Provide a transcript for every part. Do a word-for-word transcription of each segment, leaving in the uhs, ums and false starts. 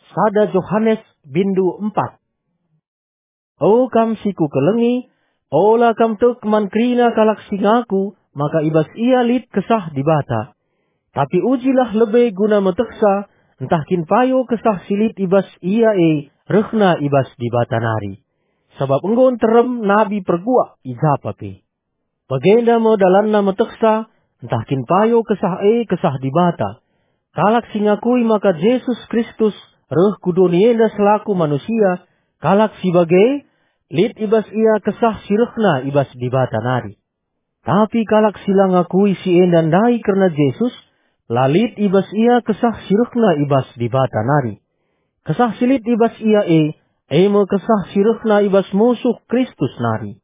Sada Johanes bindu empat. O kam si kukelengi, ola kam tek man kerina kalak si ngaku maka i bas ia lit Kesah Dibata. Tapi ujilah lebe guna metehsa, ntah kin payo Kesah si lit i bas ia e rehna i bas Dibata nari. Sabap enggo nterem nabi perguak i japa pe. Bagenda me dalanna metehsa, ntah kin payo Kesah e Kesah Dibata. Kalak si ngakui maka Jesus Kristus reh ku doni enda selaku manusia, kalak si bage, lit i bas ia Kesah si rehna i bas Dibata nari. Tapi kalak si la ngakui si enda ndai kerna Jesus, la lit i bas ia Kesah si rehna i bas Dibata nari. Kesah si lit i bas ia e, e me Kesah si rehna i bas musuh Kristus nari.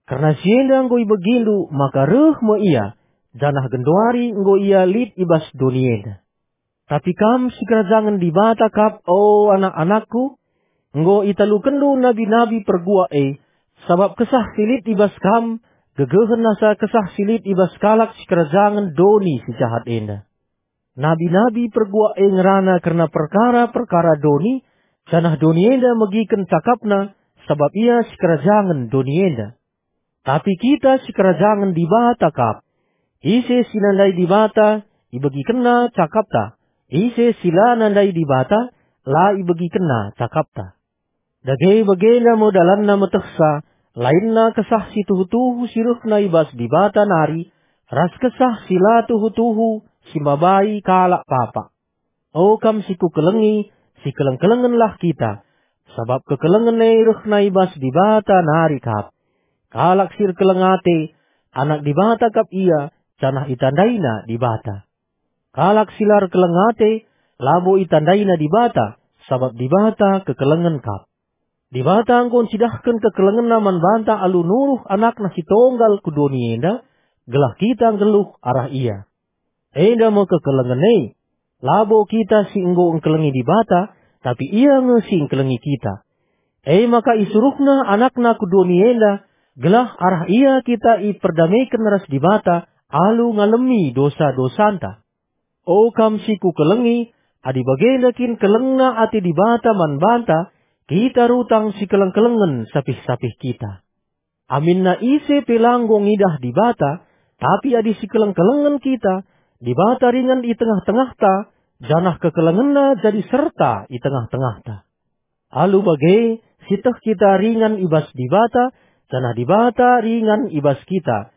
Kerna si enda enggo ibegindu maka reh me ia, janah genduari enggo ia lit i bas doni enda. Tapi kam sikerajangen Dibata kap, o anak-anakku, enggo italukenndu nabi-nabi perguak e, sabap Kesah si lit i bas kam gegehen asa Kesah si lit i bas kalak sikerajangen doni si jahat enda. Nabi-nabi perguak e ngerana kerna perkara-perkara doni, janah doni enda megiken cakapna, sabap ia sikerajangen doni enda. Tapi kita sikerajangen Dibata kap. Ise si nandai Dibata, ibegikenna cakapta. Ise si la nandai Dibata, la ibegikenna cakapta. Dage bagenda me dalanna metehsa, lainna Kesah si tuhu-tuhu si rehna i bas Dibata nari, ras Kesah si la tuhu-tuhu si mabai kalak papak. O kam si kukelengi, sikeleng-kelengenlah kita, sabap kekelengen e rehna i bas Dibata nari kap. Kalak si erkeleng ate, anak Dibata kap ia, janah itandaina Dibata. Kalak si la erkeleng ate, labo itandaina Dibata, sabap Dibata kekelengen kap. Dibata enggo ncidahken kekelengenNa man banta alu nuruh AnakNa si tonggal ku doni enda, gelah kita nggeluh arah Ia. Enda me kekelengen e. Labo kita si enggo engkelengi Dibata, tapi Ia nge si engkelengi kita. E maka isuruhNa AnakNa ku doni enda, gelah arah Ia kita iperdameken ras Dibata alu ngalemi dosa-dosanta. O kam si kukelengi, adi bagenda kin kelengna ate Dibata man banta, kita rutang sikeleng-kelengen sapih-sapih kita. Aminna ise pe la enggo ngidah Dibata, tapi adi sikeleng-kelengen kita, Dibata ringan i tengah-tengahta, janah kekelengenNa jadi serta i tengah-tengahta. Alu bage, sieteh kita ringan i bas Dibata, janah Dibata ringan i bas kita,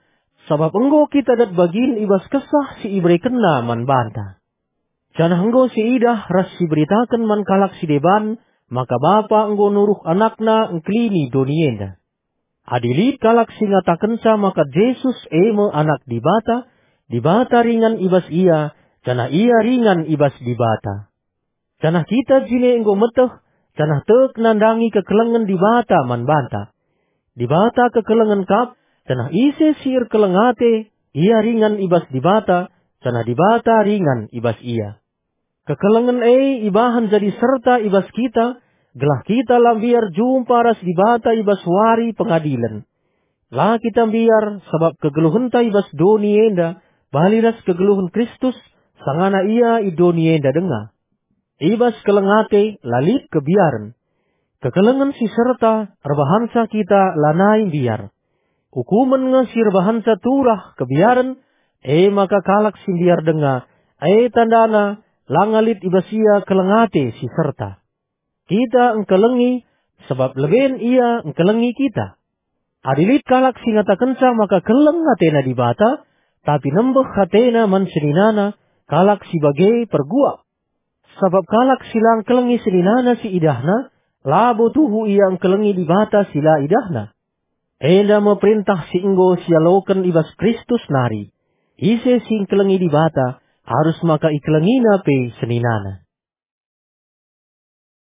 sabap enggo kita dat bagin i bas Kesah si iberekenNa man banta. Janah enggo siidah ras siberitaken man kalak si deban maka Bapa enggo nuruh AnakNa engkelini doni enda. Adi lit kalak si ngatakenca maka Jesus e me Anak Dibata, Dibata ringan i bas ia, janah ia ringan i bas Dibata. Janah kita jine enggo meteh, janah tek nandangi kekelengen Dibata man banta. Dibata kekelengen kap, janah ise si erkeleng ate, ia ringan i bas Dibata, janah Dibata ringan i bas ia. Kekelengen e ibahan jadi serta i bas kita, gelah kita la mbiar jumpa ras Dibata i bas wari pengadilen. La kita mbiar, sabap kegeluhenta i bas doni enda bali ras kegeluhen Kristus, sangana Ia i doni enda denga. I bas keleng ate la lit kebiaren. Kekelengen si serta erbahanca kita lanai mbiar. Ukumen nge si erbahanca turah kebiaren, e maka kalak si mbiar denga, e tandana langa lit i bas ia keleng ate si serta. Kita engkelengi, sabap leben Ia engkelengi kita. Adi lit kalak si ngatakenca maka keleng atena Dibata, tapi nembeh atena man seninana, kalak si bage perguak. Sabap kalak si la engkelengi seninana si idahna, labo tuhu ia engkelengi Dibata si la idahna. Enda me perentah si enggo sialoken i bas Kristus nari, ise si engkelengi Dibata, arus maka ikelengina pe seninana.